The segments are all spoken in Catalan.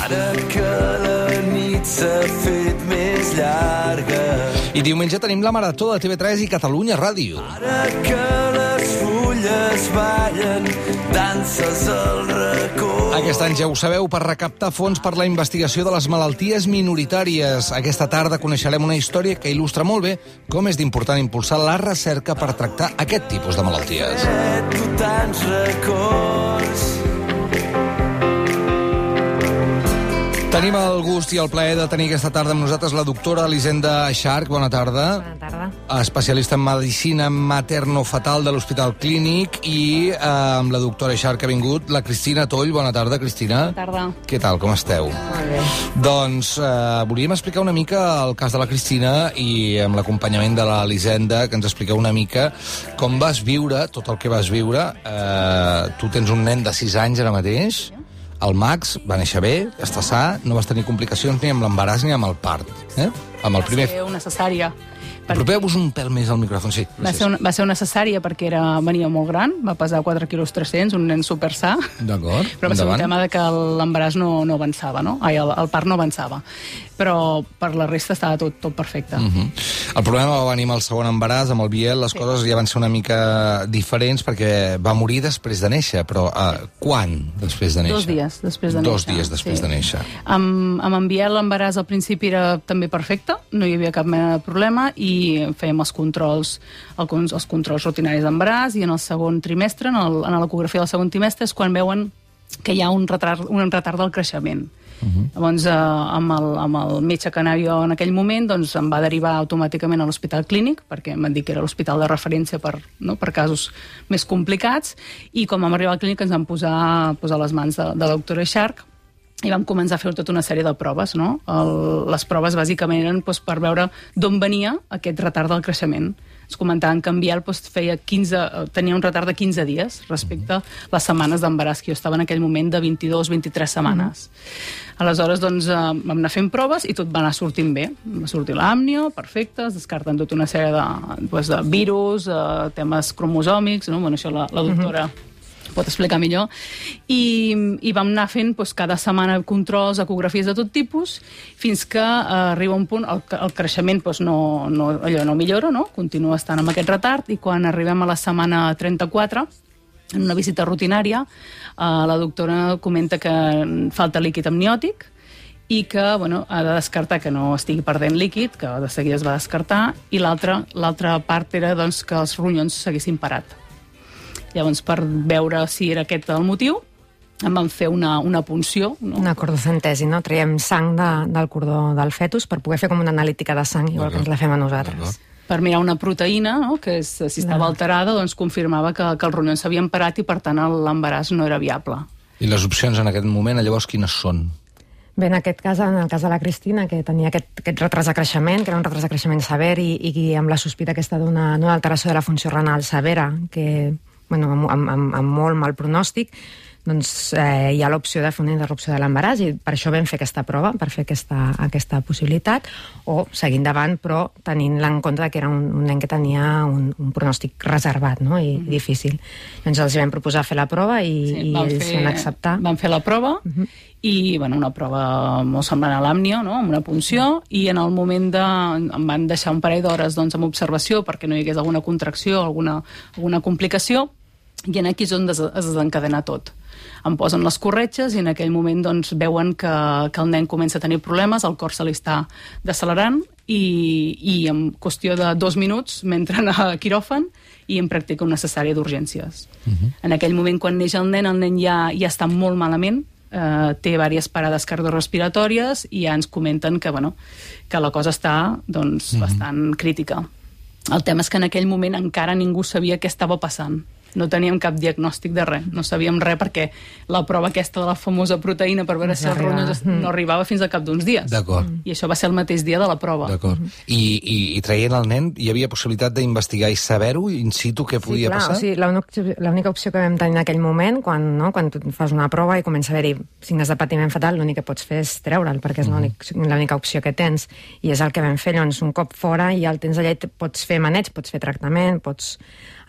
Ara que la nit s'ha fet més llarga. I diumenge tenim la Marató de TV3 i Catalunya Ràdio. Ara que les fulles ballen, danses al racó. Aquest any, ja ho sabeu, per recaptar fons per la investigació de les malalties minoritàries. Aquesta tarda coneixerem una història que il·lustra molt bé com és d'important impulsar la recerca per tractar aquest tipus de malalties. Tu tants records. Tenim el gust i el plaer de tenir aquesta tarda amb nosaltres la doctora Elisenda Scharch. Bona tarda. Bona tarda. Especialista en medicina materno-fetal de l'Hospital Clínic, i amb la doctora Scharch ha vingut la Cristina Toll. Bona tarda, Cristina. Bona tarda. Què tal, com esteu? Molt bé. Doncs volíem explicar una mica el cas de la Cristina i amb l'acompanyament de l'Elisenda, que ens expliqueu una mica com vas viure tot el que vas viure. Tu tens un nen de 6 anys ara mateix. El Max va néixer bé, està sa, no vas tenir complicacions ni amb l'embaràs ni amb el part. Amb el primer... Va ser una cesària. Apropeu-vos un pèl més al micròfon, sí. Va ser una cesària perquè venia molt gran, va pesar 4,3 quilos, un nen super sa. D'acord, però va ser un tema de que l'embaràs no avançava, no? El part no avançava. Però per la resta estava tot perfecte. El problema va venir amb el segon embaràs, amb el Biel, les coses ja van ser una mica diferents perquè va morir després de néixer, però quan després de néixer? 2 dies després de néixer. 2 dies després de néixer. Amb en Biel l'embaràs al principi era també perfecte, no hi havia cap mena de problema, i fèiem els controls rutinaris d'embaràs, i en el segon trimestre, en l'ecografia del segon trimestre, és quan veuen que hi ha un retard del creixement. Llavors, amb el metge que anava jo en aquell moment, doncs em va derivar automàticament a l'Hospital Clínic, perquè em van dir que era l'hospital de referència per casos més complicats, i quan vam arribar al clínic ens van posar les mans de la doctora Scharch, i vam començar a fer tota una sèrie de proves, no? Les proves bàsicament eren per veure d'on venia aquest retard del creixement. Ens comentaven que en Biel tenia un retard de 15 dies respecte a les setmanes d'embaràs, que jo estava en aquell moment de 22-23 setmanes. Aleshores, doncs, vam anar fent proves i tot va anar sortint bé. Va sortir l'àmnio, perfecte, es descarten tota una sèrie de virus, temes cromosòmics, no? Bueno, això la doctora pot explicar millor, i vam anar fent cada setmana controls, ecografies de tot tipus, fins que arriba un punt, el creixement no millora, no? Continua estant amb aquest retard, i quan arribem a la setmana 34, en una visita rutinària, la doctora comenta que falta líquid amniòtic, i que ha de descartar que no estigui perdent líquid, que de seguida es va descartar, i l'altra part era que els ronyons s'haguessin parat. Llavors, per veure si era aquest el motiu, em van fer una punció. Una cordocentesi, no? Traiem sang del cordó del fetus per poder fer com una analítica de sang, igual que ens la fem a nosaltres. Per mirar una proteïna, que si estava alterada, doncs confirmava que els ronyons s'havien parat i, per tant, l'embaràs no era viable. I les opcions en aquest moment, llavors, quines són? Bé, en aquest cas, en el cas de la Cristina, que tenia aquest retard de creixement, que era un retard de creixement sever, i amb la sospita aquesta d'una alteració de la funció renal severa, que amb molt mal pronòstic, doncs hi ha l'opció de fer una interrupció de l'embaràs, i per això vam fer aquesta prova, per fer aquesta possibilitat, o seguir endavant, però tenint en compte que era un nen que tenia un pronòstic reservat, no? I difícil. Doncs els vam proposar fer la prova i ells van acceptar. Van fer la prova, i una prova molt semblant a l'àmnio, no? Amb una punció, i en el moment em van deixar un parell d'hores amb observació perquè no hi hagués alguna contracció, alguna complicació, i aquí és on es desencadena tot. Em posen les corretges i en aquell moment veuen que el nen comença a tenir problemes, el cor se li està decelerant, i en qüestió de 2 minuts m'entren a quiròfan i em practiquen una cesària d'urgències. En aquell moment, quan neix el nen ja està molt malament, té diverses parades cardiorrespiratòries, i ja ens comenten que la cosa està bastant crítica. El tema és que en aquell moment encara ningú sabia què estava passant. No teníem cap diagnòstic de res, no sabíem res, perquè la prova aquesta de la famosa proteïna per veure si els ronyons no arribava fins al cap d'uns dies. D'acord. I això va ser el mateix dia de la prova. D'acord. I traient el nen, hi havia possibilitat d'investigar i saber-ho in situ què podia passar? Sí, l'única opció que vam tenir en aquell moment, quan tu fas una prova i comença a haver-hi signes de patiment fetal, l'únic que pots fer és treure'l, perquè és l'única opció que tens, i és el que vam fer. Llavors, un cop fora, i ja el tens allà, pots fer maneig, pots fer tractament, pots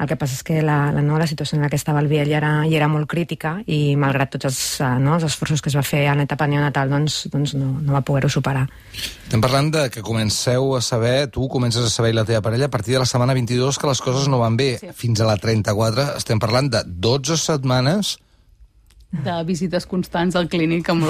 El que passa és que la situació en la que estava el Biel ja era molt crítica i malgrat tots els esforços que es va fer en l'etapa neonatal doncs no va poder-ho superar. Estem parlant de que tu comences a saber i la teva parella a partir de la setmana 22 que les coses no van bé. Sí. Fins a la 34 estem parlant de 12 setmanes de visites constants al clínic amb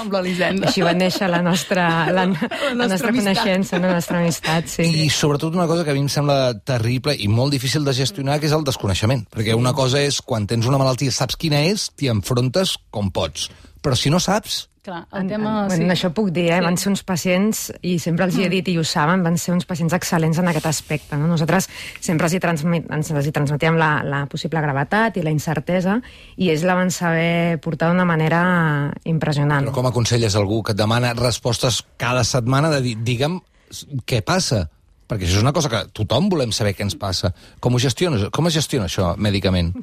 l'Elisenda. Així va néixer la nostra coneixença, la nostra amistat, sí. I sobretot una cosa que a mi em sembla terrible i molt difícil de gestionar, que és el desconeixement. Perquè una cosa és, quan tens una malaltia, saps quina és, t'hi enfrontes com pots. Però si no saps... Clar, el tema... Bueno, això puc dir, van ser uns pacients, i sempre els hi he dit, i ho saben, van ser uns pacients excel·lents en aquest aspecte. No? Nosaltres sempre els hi transmetíem la possible gravetat i la incertesa, i ells la van saber portar d'una manera impressionant. Però com aconselles algú que et demana respostes cada setmana de dir, digue'm què passa? Perquè això és una cosa que tothom volem saber què ens passa. Com es gestiona això mèdicament?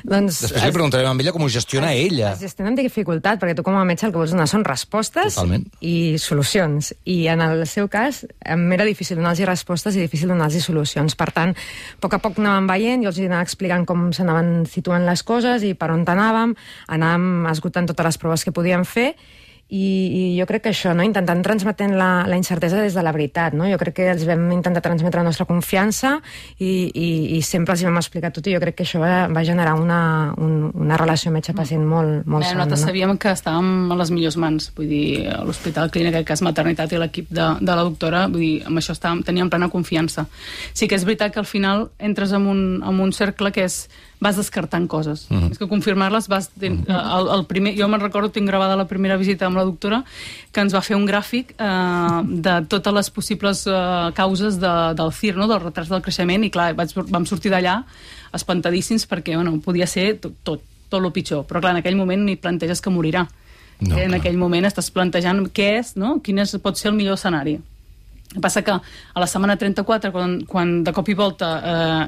Després li preguntarem a ella com ho gestiona ella. Es gestiona amb dificultat, perquè tu com a metge el que vols donar són respostes i solucions. I en el seu cas m'era difícil donar-los respostes i difícil donar-los solucions. Per tant, a poc anàvem veient, jo els anava explicant com s'anaven situant les coses i per on anàvem esgotant totes les proves que podíem fer. I jo crec que això, intentant transmetent la incertesa des de la veritat, jo crec que els vam intentar transmetre la nostra confiança i sempre els hi vam explicar tot, i jo crec que això va generar una relació metge-pacient molt sana. Nosaltres sabíem que estàvem a les millors mans, vull dir, a l'Hospital Clínic, en cas maternitat, i l'equip de la doctora, vull dir, amb això teníem plena confiança. Sí que és veritat que al final entres en un cercle que és vas descartant coses. És que confirmar-les vas... Jo me'n recordo, tinc gravada la primera visita amb la doctora, que ens va fer un gràfic de totes les possibles causes del CIR, del retard del creixement, i clar, vam sortir d'allà espantadíssims perquè podia ser tot el pitjor. Però clar, en aquell moment ni planteges que morirà. En aquell moment estàs plantejant què és, quin pot ser el millor escenari. El que passa que a la setmana 34, quan de cop i volta,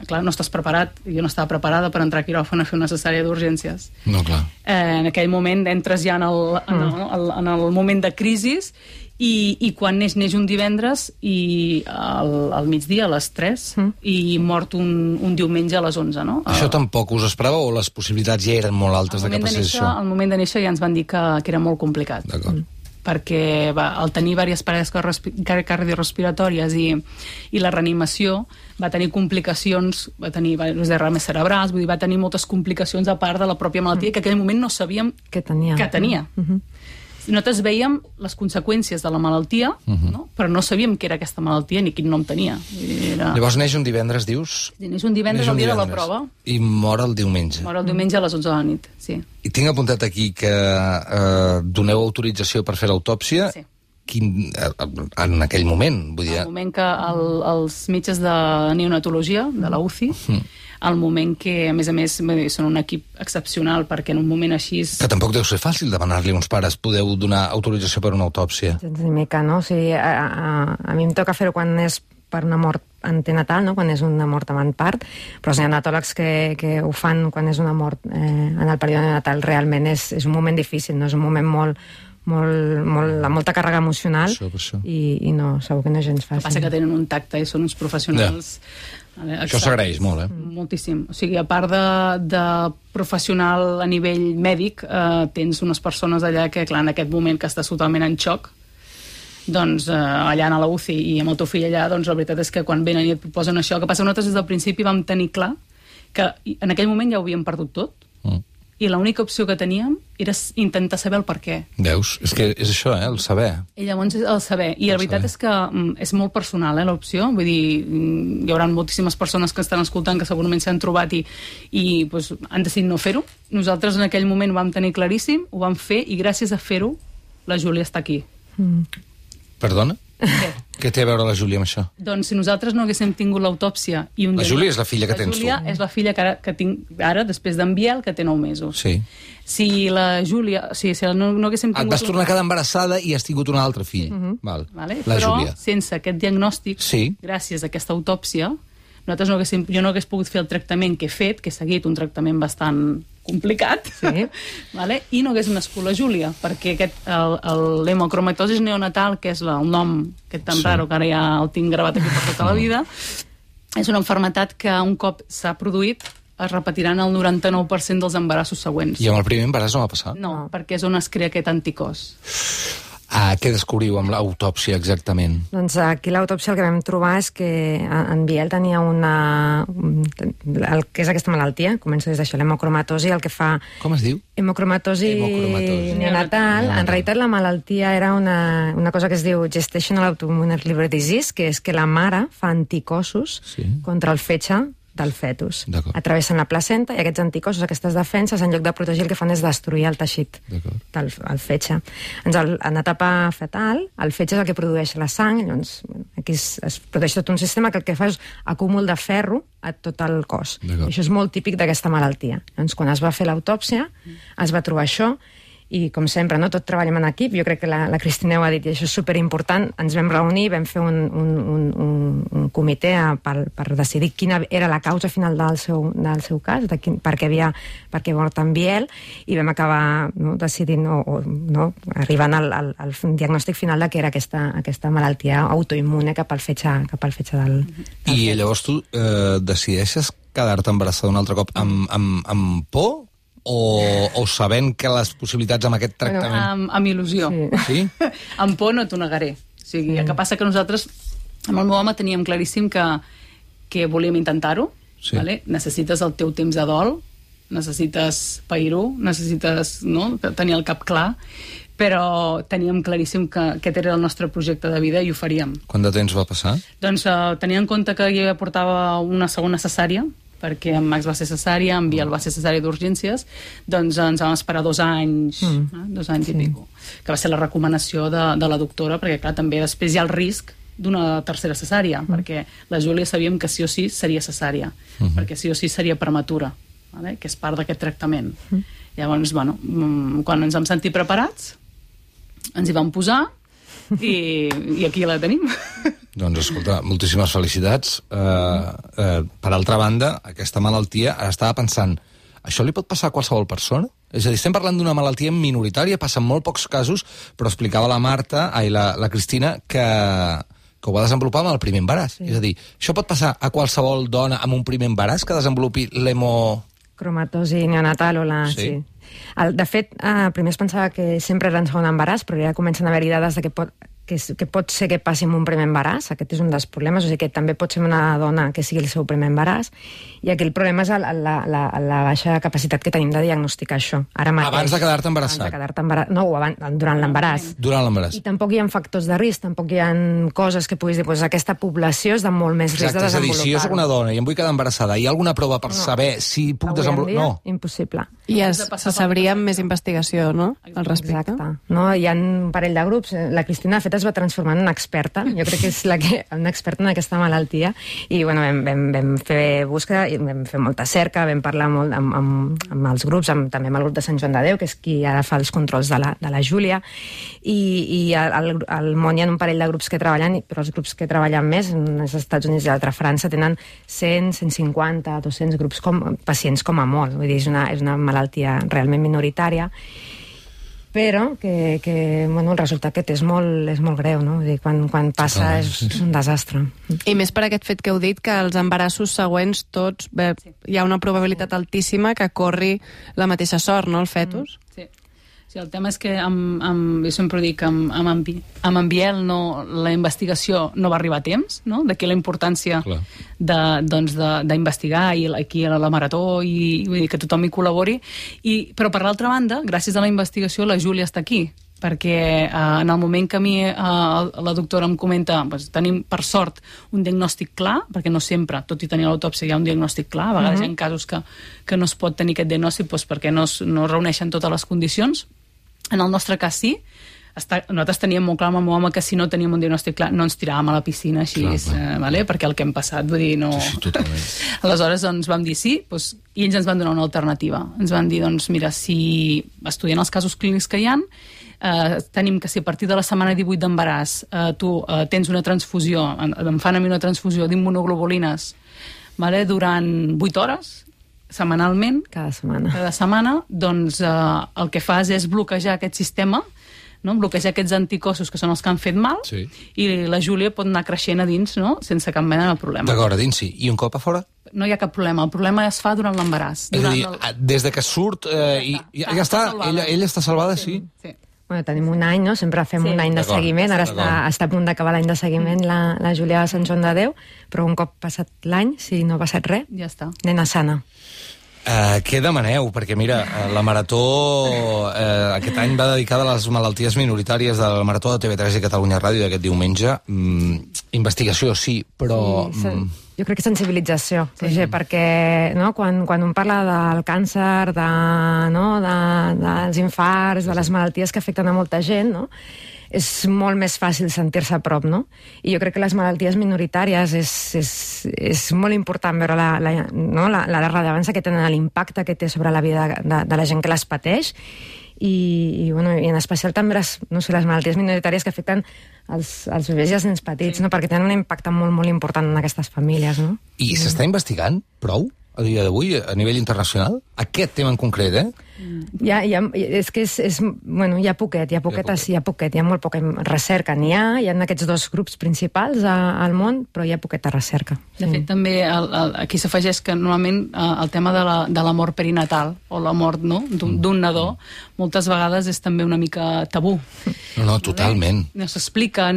clar, no estàs preparat, jo no estava preparada per entrar a quiròfan a fer una cessària d'urgències. No, clar. En aquell moment entres ja en el moment de crisis i quan neix un divendres i al migdia, a les 3, i mort un diumenge a les 11, no? Això tampoc us esperava o les possibilitats ja eren molt altes de que passés això? Al moment de néixer ja ens van dir que era molt complicat. D'acord. Perquè al tenir diverses parades cardiorrespiratòries i la reanimació va tenir complicacions, va tenir derrames cerebrals, vull dir, va tenir moltes complicacions a part de la pròpia malaltia que en aquell moment no sabíem que tenia. Nosaltres veiem les conseqüències de la malaltia, però no sabíem què era aquesta malaltia ni quin nom tenia. Llavors neix un divendres, dius? Neix un divendres el dia de la prova. I mor el diumenge. Mor el diumenge a les 11 de la nit, sí. I tinc apuntat aquí que doneu autorització per fer l'autòpsia. Sí. En aquell moment, vull dir... El moment que els metges de neonatologia, de la UCI, al moment que, a més, són un equip excepcional, perquè en un moment així... Que tampoc deu ser fàcil demanar-li a uns pares, podeu donar autorització per una autòpsia. Gens ni mica, no? O sigui, a mi em toca fer-ho quan és per una mort antenatal, quan és una mort amb part, però els neonatòlegs que ho fan quan és una mort en el període neonatal realment és un moment difícil, no? És un moment amb molta càrrega emocional i no, segur que no és gens fàcil. El que passa que tenen un tacte i són uns professionals... Això s'agraeix molt, Moltíssim. O sigui, a part de professional a nivell mèdic, tens unes persones allà que, clar, en aquest moment que estàs totalment en xoc, doncs allà a la UCI i amb el teu fill allà, doncs la veritat és que quan venen i et proposen això, el que passa que nosaltres des del principi vam tenir clar que en aquell moment ja ho havíem perdut tot, i l'única opció que teníem era intentar saber el per què. Veus? És que és això, el saber. I llavors el saber. I la veritat és que és molt personal, l'opció. Vull dir, hi haurà moltíssimes persones que estan escoltant que segurament s'han trobat i han decidit no fer-ho. Nosaltres en aquell moment ho vam tenir claríssim, ho vam fer, i gràcies a fer-ho la Júlia està aquí. Perdona? Què té a veure la Júlia amb això? Doncs si nosaltres no haguéssim tingut l'autòpsia... La Júlia és la filla que tens tu. La Júlia és la filla que tinc ara, després d'en Biel, que té 9 mesos. Sí. Si la Júlia... Si no haguéssim tingut... Et vas tornar a quedar embarassada i has tingut un altre fill. Val. La Júlia. Però sense aquest diagnòstic, gràcies a aquesta autòpsia, jo no hagués pogut fer el tractament que he fet, que he seguit un tractament bastant complicat, i no hagués nascut la Júlia, perquè l'hemocromatosis neonatal, que és el nom tan raro, que ara ja el tinc gravat aquí per tota la vida, és una malaltia que un cop s'ha produït es repetiran el 99% dels embarassos següents. I amb el primer embaràs no va passar? No, perquè és on es crea aquest anticòs. Què descobriu amb l'autòpsia exactament? Doncs aquí l'autòpsia el que vam trobar és que en Biel tenia el que és aquesta malaltia, comença des d'això, l'hemocromatosi, el que fa... Com es diu? Hemocromatosi neonatal. En realitat la malaltia era una cosa que es diu Gestational Autoimmune Liver Disease, que és que la mare fa anticossos contra el fetge del fetus. Atravessen la placenta i aquests anticossos, aquestes defenses, en lloc de protegir, el que fan és destruir el teixit del fetge. En etapa fetal, el fetge és el que produeix la sang, llavors aquí es produeix tot un sistema que el que fa és acúmul de ferro a tot el cos. I això és molt típic d'aquesta malaltia. Llavors, quan es va fer l'autòpsia, es va trobar això, i com sempre, no, tot treballem en equip. Jo crec que la Cristina ho ha dit, i això és superimportant. Ens vam reunir, vam fer un comitè per decidir quina era la causa final del seu cas, per què mort en Biel, i vam acabar decidint, arribant al diagnòstic final de que era aquesta malaltia autoimmune cap al fetge del I llavors tu decideixes quedar-te embarassada un altre cop amb por? O sabent que les possibilitats amb aquest tractament... Amb il·lusió. Sí? Amb por no t'ho negaré. O sigui, el que passa que nosaltres, amb el meu home, teníem claríssim que volíem intentar-ho. Vale? Necessites el teu temps de dol, necessites pair-ho, necessites tenir el cap clar, però teníem claríssim que aquest era el nostre projecte de vida i ho faríem. Quant de temps va passar? Doncs tenint en compte que ja portava una segona cesària, perquè en Max va ser cesària, en Biel va ser cesària d'urgències, doncs ens vam esperar 2 anys, 2 anys i pico, que va ser la recomanació de la doctora, perquè clar, també després hi ha el risc d'una tercera cesària, perquè la Júlia sabíem que sí o sí seria cesària, perquè sí o sí seria prematura, vale? Que és part d'aquest tractament. Llavors, bueno, quan ens vam sentir preparats, ens hi vam posar i aquí la tenim. Doncs escolta, moltíssimes felicitats. Per altra banda, aquesta malaltia, ara estava pensant, això li pot passar a qualsevol persona? És a dir, estem parlant d'una malaltia minoritària, passa en molt pocs casos, però explicava la Cristina que ho va desenvolupar amb el primer embaràs. És a dir, això pot passar a qualsevol dona amb un primer embaràs que desenvolupi cromatosi neonatal o la... Sí. De fet, primer es pensava que sempre era en segon embaràs, però ja comencen a haver-hi dades de que pot ser que passi amb un primer embaràs. Aquest és un dels problemes, o sigui que també pot ser una dona que sigui el seu primer embaràs, i aquí el problema és la baixa capacitat que tenim de diagnosticar això. Abans de quedar-te embarassat? Durant l'embaràs. Durant l'embaràs. I tampoc hi ha factors de risc, tampoc hi ha coses que puguis dir, doncs aquesta població és de molt més risc de desenvolupar. És a dir, si jo soc una dona i em vull quedar embarassada, hi ha alguna prova per saber si puc desenvolupar? No. Impossible. I se sabria amb més investigació, no?, al respecte. Exacte. No, hi ha un parell de grups. La Cristina, de fet, es va transformar en una experta. Jo crec que és una experta en aquesta malaltia. I, bueno, vam fer búsqueda, i vam fer molta cerca, vam parlar molt amb els grups, també amb el grup de Sant Joan de Déu, que és qui ara fa els controls de la Júlia, i al món hi ha un parell de grups que treballen, però els grups que treballen més, als Estats Units i a l'altra França, tenen 100, 150, 200 grups, pacients com a molt. Vull dir, és una malaltia realment minoritària, però que el resultat que té és molt greu, no? Vull dir, quan passa és un desastre. I més per aquest fet que heu dit, que els embarassos següents tots, hi ha una probabilitat altíssima que corri la mateixa sort, no, el fetus? Sí. Sí, el tema és que jo sempre dic que amb en Biel la investigació no va arribar a temps, no? D'aquí la importància d'investigar, i aquí a la Marató, i vull dir que tothom hi col·labori, però per l'altra banda, gràcies a la investigació, la Júlia està aquí, perquè en el moment que a mi la doctora em comenta, tenim per sort un diagnòstic clar, perquè no sempre, tot i tenir l'autòpsia, hi ha un diagnòstic clar, a vegades hi ha casos que no es pot tenir aquest diagnòstic perquè no es reuneixen totes les condicions. En el nostre cas sí, nosaltres teníem molt clar amb el meu home que si no teníem un diagnòstic clar no ens tiràvem a la piscina així, perquè el que hem passat, vull dir, no... Sí, totalment. Aleshores doncs vam dir sí, i ells ens van donar una alternativa. Ens van dir, doncs mira, si estudiant els casos clínics que hi ha, tenim que si a partir de la setmana 18 d'embaràs tu tens una transfusió, em fan a mi una transfusió d'immunoglobulines durant 8 hores, setmanalment, cada setmana, doncs el que fas és bloquejar aquest sistema no? Bloquejar aquests anticossos que són els que han fet mal, Sí. i la Júlia pot anar creixent a dins, no? Sense cap mena de problema. D'acord, a dins sí. I un cop a fora? No hi ha cap problema. El problema es fa durant l'embaràs. És a dir, des de que surt... ja està, ella està salvada, sí? Sí. Bueno, tenim un any, no? Sempre fem un any de D'acord, seguiment. Ara d'acord. està a punt d'acabar l'any de seguiment la Júlia de Sant Joan de Déu, però un cop passat l'any, si no ha passat res, Ja està. nena sana. Què demaneu? Perquè, mira, la Marató aquest any va dedicada a les malalties minoritàries de la Marató de TV3 i Catalunya Ràdio d'aquest diumenge. Investigació, sí, però... Jo crec que sensibilització, Roger, perquè no, quan un parla del càncer, dels infarts, de les malalties que afecten a molta gent, no? És molt més fàcil sentir-se a prop, no? I jo crec que les malalties minoritàries és molt important veure la rellevància que tenen, l'impacte que té sobre la vida de la gent que les pateix, i en especial també les malalties minoritàries que afecten els bebès i els nens petits, no? Perquè tenen un impacte molt, molt important en aquestes famílies, no? I s'està investigant prou a dia d'avui a nivell internacional? Aquest tema en concret, És que hi ha poquet, hi ha molt poca recerca. Hi ha aquests dos grups principals al món, però hi ha poqueta recerca. De fet, també aquí s'afegeix que normalment el tema de la mort perinatal o la mort d'un nadó moltes vegades és també una mica tabú. No, totalment. No s'explica,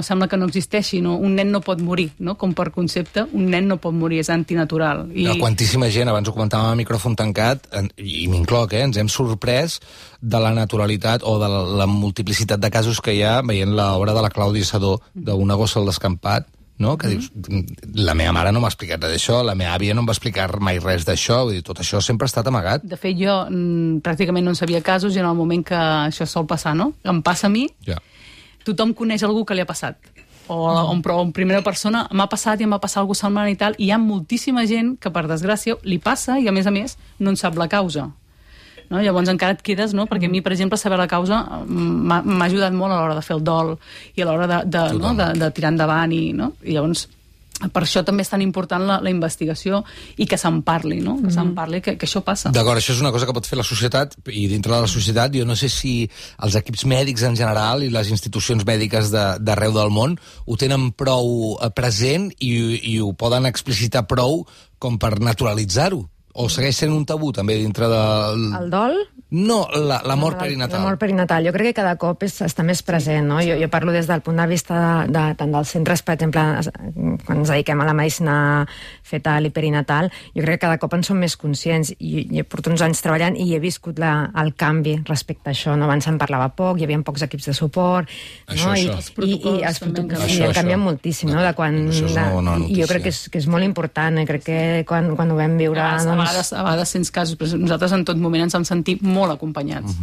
sembla que no existeixi. Un nen no pot morir, com per concepte, un nen no pot morir, és antinatural. Quantíssima gent, abans ho comentàvem a micròfon tancat, i m'incloc, ens hem sorprès de la naturalitat o de la multiplicitat de casos que hi ha veient l'obra de la Clàudia Sedó, d'Una gossa al descampat, no? Que dius, la meva mare no m'ha explicat res d'això, la meva àvia no em va explicar mai res d'això, vull dir, tot això sempre ha estat amagat. De fet, jo pràcticament no en sabia casos, i en el moment que això sol passar, em passa a mi, tothom coneix algú que li ha passat. O en primera persona m'ha passat i em va passar alguna cosa semblant i tal, i hi ha moltíssima gent que, per desgràcia, li passa i, a més, no en sap la causa. Llavors encara et quedes, perquè a mi, per exemple, saber la causa m'ha ajudat molt a l'hora de fer el dol i a l'hora de tirar endavant, i llavors per això també és tan important la investigació i que se'n parli, que se'n parli, que això passa. D'acord, això és una cosa que pot fer la societat, i dintre de la societat jo no sé si els equips mèdics en general i les institucions mèdiques d'arreu del món ho tenen prou present i ho poden explicitar prou com per naturalitzar-ho. O segueix sent un tabú també dintre del... El dol? No, la mort perinatal. La mort perinatal. Jo crec que cada cop està més present, no? Jo parlo des del punt de vista tant dels centres, per exemple, quan ens dediquem a la medicina fetal i perinatal, jo crec que cada cop en som més conscients, i porto uns anys treballant i he viscut el canvi respecte a això, no? Abans se'n parlava poc, hi havia pocs equips de suport, això. I els protocols han canviat moltíssim, no? I jo crec que és molt important, crec que quan ho vam viure... A vegades sents casos, però nosaltres en tot moment ens hem sentit molt acompanyats.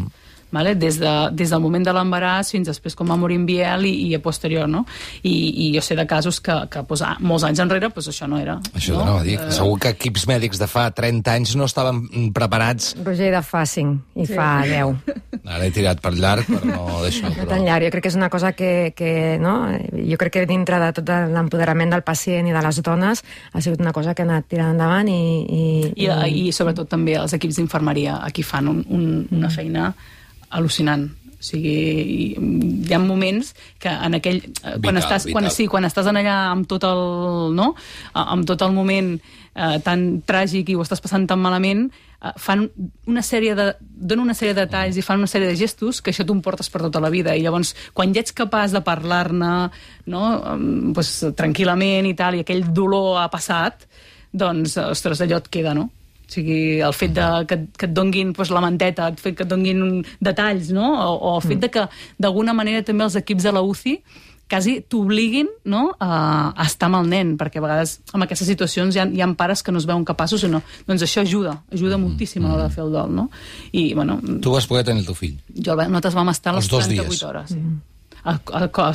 Des del moment de l'embaràs fins després com va morir en Biel i a posterior, no? I jo sé de casos que molts anys enrere això no era. Això t'anava a dir. Segur que equips mèdics de fa 30 anys no estaven preparats. Roger, de fa 5 i fa 10. Ara he tirat per llarg, però no d'això. No tan llarg. Jo crec que és una cosa que no? Jo crec que dintre de tot l'empoderament del pacient i de les dones ha sigut una cosa que ha anat tirant endavant i sobretot també els equips d'infermeria aquí fan una feina al·lucinant. O sigui, hi ha moments que en aquell... Quan estàs en allà amb tot el moment tan tràgic i ho estàs passant tan malament, donen una sèrie de detalls i fan una sèrie de gestos que això t'ho portes per tota la vida, i llavors quan ja ets capaç de parlar-ne tranquil·lament i tal, i aquell dolor ha passat, doncs, ostres, allò et queda, no? O sigui, el fet que et donguin la manteta, el fet que et donguin detalls, no? O el fet que d'alguna manera també els equips de la UCI quasi t'obliguin a estar amb el nen, perquè a vegades en aquestes situacions hi ha pares que no es veuen capaços o no. Doncs això ajuda moltíssim a l'hora de fer el dol, no? I, bueno... Tu vas poder tenir el teu fill? Nosaltres vam estar les 38 hores. A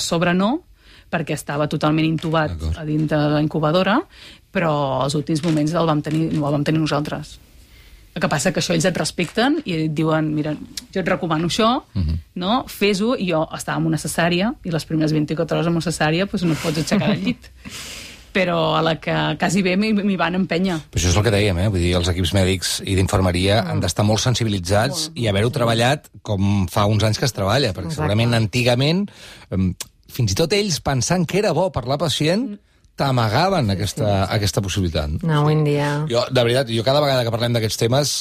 sobre no, perquè estava totalment intubat a dintre de la incubadora, però els últims moments el vam tenir nosaltres. El que passa que això ells et respecten i et diuen, mira, jo et recomano això, fes-ho, i jo estava amb una cesària, i les primeres 24 hores amb una cesària no et pots aixecar del llit. però a la que quasi bé m'hi van empènyer. Però això és el que dèiem, vull dir, els equips mèdics i d'infermeria han d'estar molt sensibilitzats i haver-ho treballat com fa uns anys que es treballa, perquè segurament antigament, fins i tot ells pensant que era bo per la pacient, t'amagaven aquesta possibilitat. No, avui en dia... Jo, de veritat, cada vegada que parlem d'aquests temes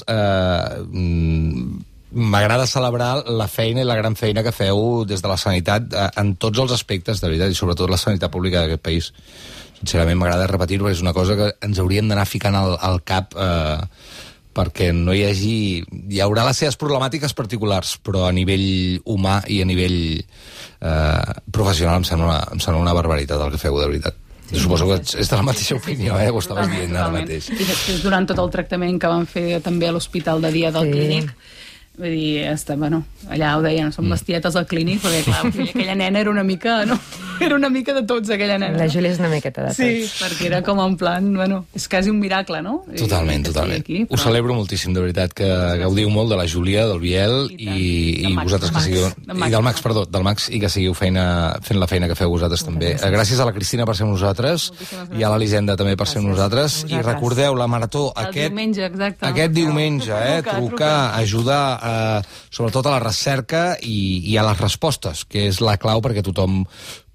m'agrada celebrar la feina i la gran feina que feu des de la sanitat en tots els aspectes, de veritat, i sobretot la sanitat pública d'aquest país. Sincerament, m'agrada repetir-ho, perquè és una cosa que ens hauríem d'anar ficant al cap perquè no hi hagi... Hi haurà les seves problemàtiques particulars, però a nivell humà i a nivell professional em sembla una barbaritat el que feu, de veritat. Jo suposo que és de la mateixa opinió, ho estaves dient ara mateix. I després, durant tot el tractament que van fer també a l'hospital de dia del clínic, vull dir, allà ho deien, són bestietes al clínic, perquè clar, aquella nena era una mica, no? Era una mica de tots, aquella nena. La Júlia és una miqueta de tots. Sí, perquè era com en plan, és quasi un miracle, no? Totalment. Ho celebro moltíssim, de veritat, que gaudiu molt de la Júlia, del Biel, i vosaltres que sigueu... I del Max, perdó, del Max, i que seguiu fent la feina que feu vosaltres també. Gràcies a la Cristina per ser amb nosaltres, i a l'Elisenda també per ser amb nosaltres, i recordeu, la marató aquest diumenge, trucar, ajudar sobretot a la recerca i a les respostes, que és la clau perquè tothom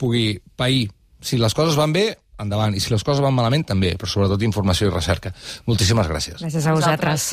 pugui pair. Si les coses van bé, endavant, i si les coses van malament, també, però sobretot informació i recerca. Moltíssimes gràcies. Gràcies a vosaltres.